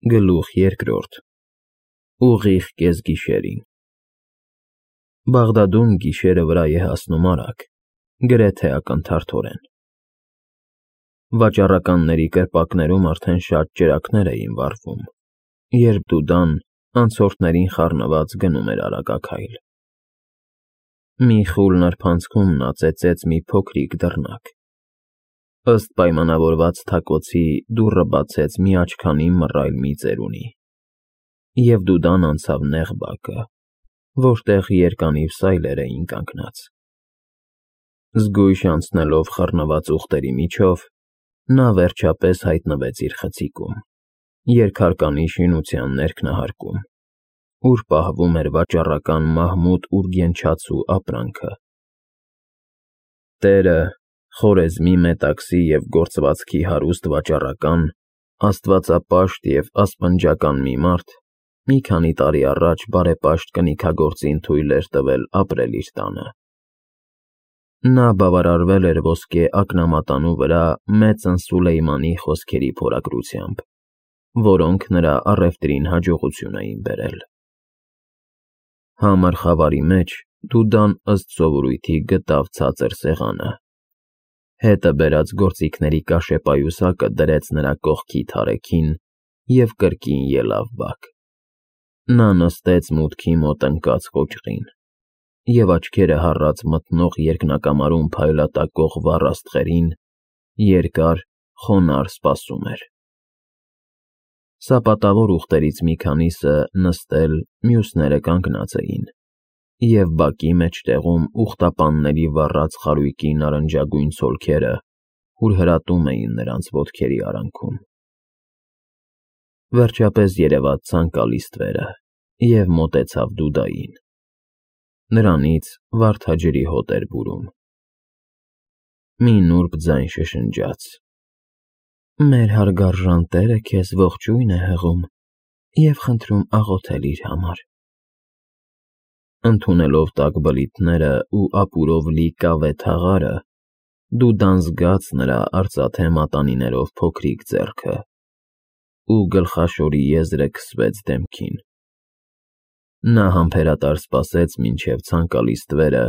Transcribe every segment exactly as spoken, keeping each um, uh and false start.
Գլուխ երկրորդ Ուղիղ կեսգիշերին Բաղդադում գիշերը վրա է հասնում արագ, գրեթե ակնթարթորեն։ Վաճառականների կրպակներում արդեն շատ ճրագներ էին վառվում, երբ Դուդան անցորդներին խառնված գնում էր արագաքայլ։ Մի խուլ նրբանցքում նա ծեծեց մի փոքրիկ դռնակ։ Ըստ պայմանավորված թակոցի դուռը բացեց մի աչքանի մռայլ մի ծերունի, և Դուդան անցավ նեղ բակը, որտեղ երկանիվ սայլեր էին կանգնած։ Զգույշ անցնելով խռնված ուղտերի միջով, նա վերջապես հայտնվեց իր խցիկում, երկհարկանի շինության ներքնահարկում, ուր պահվում էր վաճառական Մահմուդ Ուրգենչացու ապրանքը։ Տերը, խորեզմի մետաքսի և գործվածքի հարուստ վաճառական, աստվածապաշտ և ասպնջական մի մարդ մի քանի տարի առաջ բարեպաշտ կնիքագործին թույլ էր տվել ապրել իր տանը։ Նա բավարարվել էր ոսկե ակնամատանու վրա մեծն Սուլեյմանի խոսքերի փորագրությամբ, որոնք նրա առևտրին հաջողություն էին բերել։ Համր խավարի մեջ Դուդան ըստ սովորույթի գտավ ցածր սեղանը, հետը բերած գործիքների կաշեպայուսակը դրեց նրա կողքի թարեքին և կրկին ելավ բակ։ Նա նստեց մուտքի մոտ ընկած կոճղին և աչքերը հառած մթնող երկնակամարում փայլատակող վառ աստղերին երկար, խոնարհ սպասում էր։ Սապատավոր ուղտերից մի քանիսը նստել, մյուսները կանգնած էին, և բակի մեջտեղում ուղտապանների վառած խարույկի նարնջագույն ցոլքերը հուրհրատում էին նրանց ոտքերի արանքում։ Վերջապես երևաց ցանկալի ստվերը և մոտեցավ Դուդային։ Նրանից վարդաջրի հոտ էր բուրում։ Մի նուրբ ձայն շշնջաց. «Մեր հարգարժան տերը քեզ ողջույն է հղում և խնդրում աղոթել իր համար»։ Ընդունելով տաք բլիթներն ու ապուրով լի կավե թաղարը, Դուդան զգաց նրա արծաթե մատանիներով փոքրիկ ձեռքը, ու գլխաշորի եզրը քսվեց դեմքին։ Նա համբերատար սպասեց, մինչև ցանկալի ստվերը,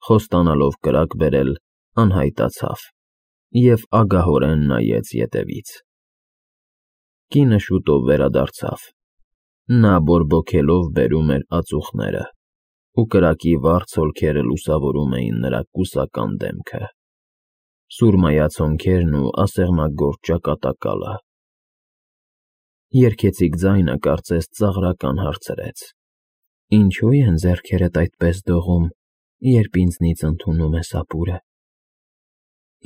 խոստանալով կրակ բերել, անհայտացավ և ագահորեն նայեց ետևից։ Կինը շուտով վերադարձավ։ Նա բորբոքելով բերում էր ածուխները, ու կրակի վառ ցոլքերը լուսավորում էին նրա կուսական դեմքը, սուրմայացոնքերն ու ասեղնագործ ճակատակալը։ Երգեցիկ ձայնը կարծես ծաղրական հարցրեց. «Ինչո՞ւ են ձեռքերդ այդպես դողում, երբ ինձնից ընդունում ես ապուրը։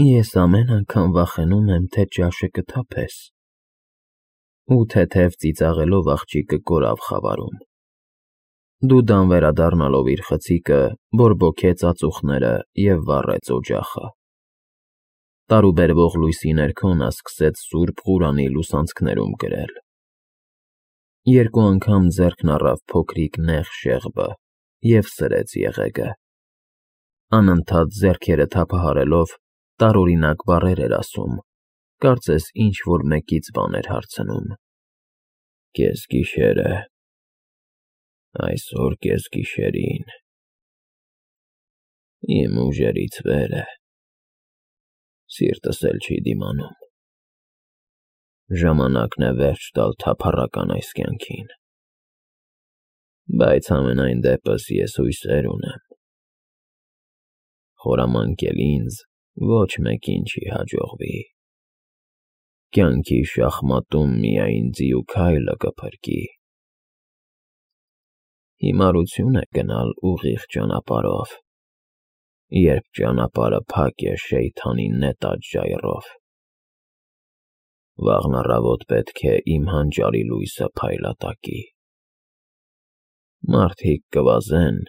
Ես ամեն անգամ վախենում եմ, թե ճաշը կթափես»։ Ու թեթև ծիծաղելով աղջիկը կորավ խավարում։ Դուդան վերադառնալով իր խցիկը, բորբոքեց ածուխները և վառեց օջախը։ Տարուբերվող լույսի ներքո նա սկսեց Սուրբ Ղուրանի լուսանցքներում գրել։ Երկու անգամ ձեռքն առավ փոքրիկ նեղ շեղբը և սրեց եղեգը։ Անընդհատ ձեռքերը թափահարելով, տարօրինակ բառեր էր ասում, կարծես ինչ֊որ մեկից բան էր հարցնում. «Կեսգիշեր է, այսօր կեսգիշերին, իմ ուժերից վեր է, սիրտս էլ չի դիմանում, ժամանակն է վերջ տալ թափառական այս կյանքին, բայց համենայն դեպս ես հույսեր ունեմ, խորամանկել ինձ ոչ մեկին չի հաջողվի, կյանքի շախմատում միայն ձիու քայլը կփրկի։ Հիմարություն է գնալ ուղիղ ճանապարհով, երբ ճանապարհը փակ է Շեյթանի նետած ժայռով։ Վաղն առավոտ պետք է իմ հանճարի լույսը փայլատակի։ Մարդիկ կվազեն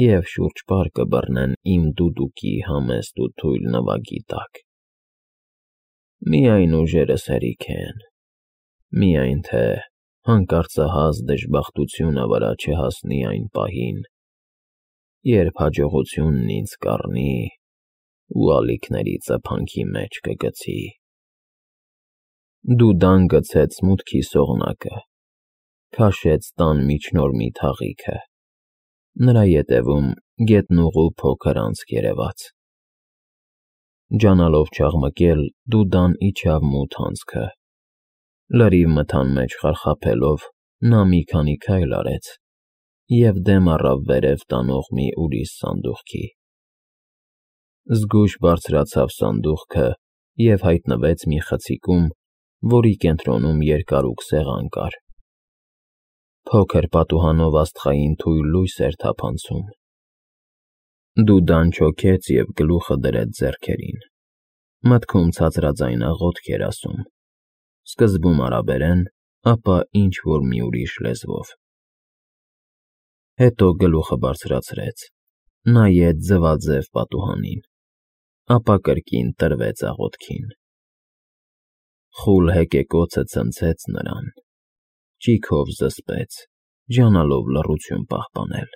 և շուրջպար կբռնեն իմ դուդուկի համեստ ու թույլ նվագի տակ։ Միայն ուժերս հերիք են, միայն թե հանկարծահաս դժբախտությունը վրա չհասնի այն պահին, երբ հաջողությունն ինձ կառնի ու ալիքների ծփանքի մեջ կգցի։ Դուդան գցեց մուտքի սողնակը, քաշեց տան միջնորմի թաղիքը, նրա ետևում գետնուղու փոքր անցք երևաց։ Ջանալով չաղմկել, Դուդան իջավ մութ անցքը, լրիվ մթան մեջ խարխափելով, նա մի քանի քայլ արեց և դեմ առավ վերև տանող մի ուրիշ սանդուղքի։ Զգույշ բարձրացավ սանդուղքը և հայտնվեց մի խցիկում, որի կենտրոնում երկարուկ սեղան կար։ Փոքր պատուհանով աստղային թույլ լույս էր թափանցում։ Դուդան չոքեց և գլուխը դրեց ձեռքերին, մտքում ցածրաձայն աղոթք էր ասում, սկզբում արաբերեն, ապա ինչ-որ մի ուրիշ լեզվով։ Հետո գլուխը բարձրացրեց, նայեց ձվաձև պատուհանին, ապա կրկին տրվեց աղոթքին։ Խուլ հեկեկոցը ցնցեց նրան, ճիգով զսպեց, ջանալով լռություն պահպանել։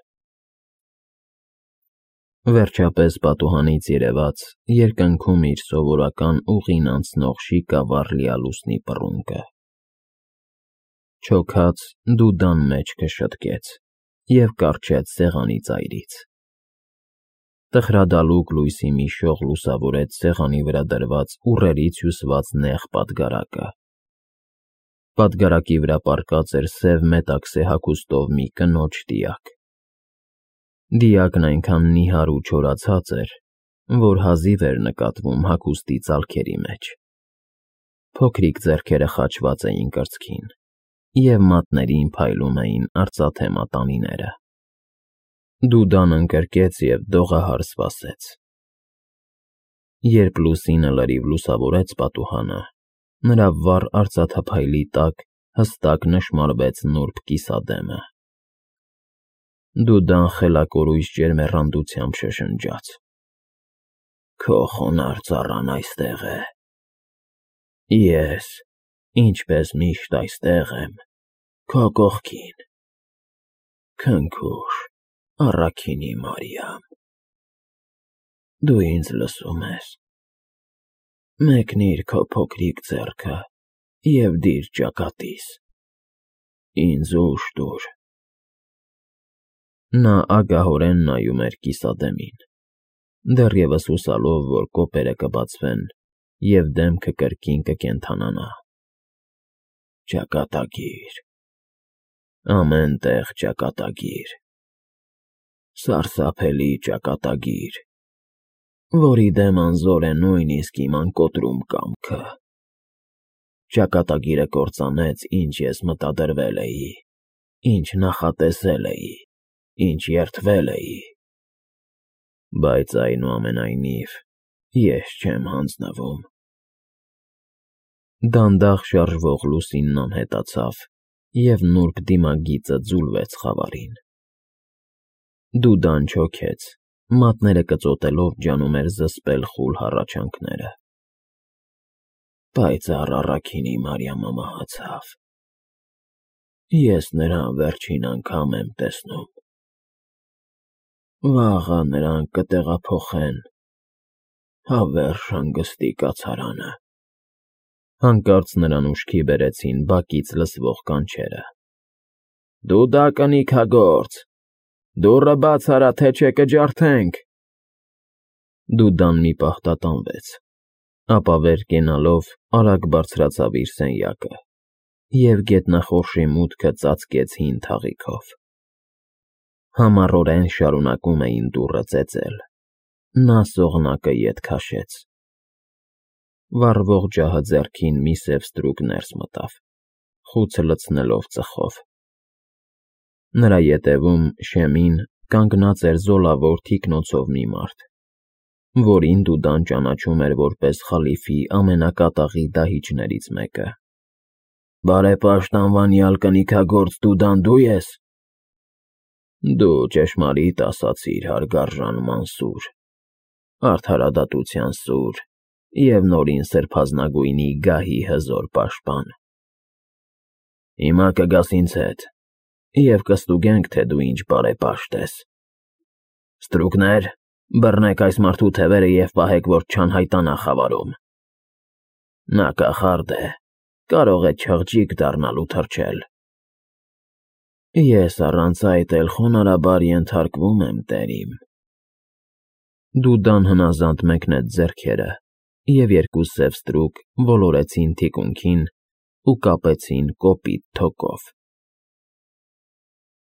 Վերջապես պատուհանից երևաց երկնքում իր սովորական ուղին անցնող շիկավառ լիալուսնի պռունգը։ Չոքած, Դուդան մեջքը շտկեց և կառչեց սեղանի ծայրից։ Տխրադալուկ լույսի մի շող լուսավորեց սեղանի վրա դրված ուռերից հյուսված նեղ պատգարակը։ Պատգարակի վրա պառկած էր սև մետաքսե հագուստով մի կնոջ դիակ։ Դիակն այնքան նիհար ու չորացած էր, որ հազիվ էր նկատվում հագուստի ծալքերի մեջ։ Փոքրիկ ձեռքերը խաչված էին կրծքին, և մատներին փայլում էին արծաթե մատանիները։ Դուդան ընկրկեց և դողահար սպասեց։ Երբ լուսինը լրիվ լուսավորեց պատուհանը, նրա վառ արծաթափայլի տակ հստակ նշմարվեց նուրբ կիսադեմը։ Դուդան խելակորույս ջերմեռանդությամբ շշնջաց. «Քո խոնարհ ծառան այստեղ է։ Ես, ինչպես միշտ, այստեղ եմ, քո կողքին։ Քնքուշ, առաքինի Մարիամ, դու ինձ լսո՞ւմ ես։ Մեկնիր քո փոքրիկ ձեռքը և դիր ճակատիս, ինձ ուժ տուր»։ Նա ագահորեն նայում էր կիսադեմին, դեռևս հուսալով, որ կոպերը կբացվեն, և դեմքը կրկին կկենդանանա։ Ճակատագիր, ամեն տեղ ճակատագիր, սարսափելի ճակատագիր, որի դեմ անզոր է նույնիսկ իմ անկոտրում կամքը։ Ճակատագիրը կործանեց, ինչ ես մտադրվել էի, ինչ նախատեսել էի, ինչ երդվել էի։ Բայց, այնուամենայնիվ, ես չեմ հանձնվում։ Դանդաղ շարժվող լուսինն անհետացավ, և նուրբ դիմագիծը ձուլվեց խավարին։ Դուդան չոքեց, մատները կծոտելով ջանում էր զսպել խուլ հառաչանքները։ Պայծառ առաքինի Մարիամը մահացավ։ Ես նրան վերջին անգամ եմ տեսնում։ Վաղը նրան կտեղափոխեն հավերժ հանգստի կացարանը։ Հանկարծ նրան ուշքի բերեցին բակից լսվող կանչերը. «Դուդա, կնիկագործ, դուռը բաց արա, թե չէ կջարդենք»։ Դուդան մի պահ տատանվեց, ապա վեր կենալով արագ բարձրացավ իր սենյակը և գետնախորշի մուտքը ծածկեց հին թաղիքով։ Համառորեն շարունակում էին դուռը ծեծել։ Նա սողնակը ետ քաշեց։ Վառվող ջահը ձեռքին մի սև ստրուկ ներս մտավ, խուցը լցնելով ծխով։ Նրա ետևում, շեմին, կանգնած էր զոլավոր թիկնոցով մի մարդ, որին Դուդան ճանաչում էր որպես խալիֆի ամենակատաղի դահիճներից մեկը։ «Բարեպաշտ անվանյալ կնիկագործ Դուդան դու ես։ Դու ճշմարիտ ասացիր, հարգարժան Մանսուր, արդարադատության սուր և Նորին Սրբազնագույնի գահի հզոր պաշտպան։ Հիմա կգաս ինձ հետ, և կստուգենք, թե դու ինչ բարեպաշտ ես։ Ստրուկներ, բռնեք այս մարդու թևերը և պահեք, որ չանհայտանա խավարում։ Նա կախարդ է, կարող է չղջիկ դառնալ ու թռչել։ Ես առանց այդ էլ խոնարհաբար ենթարկվում եմ, տերիմ։ Դուդան հնազանդ մեկնեց ձեռքերը, և երկու սև ստրուկ ոլորեցին թիկունքին ու կապեցին կոպիտ թոկով։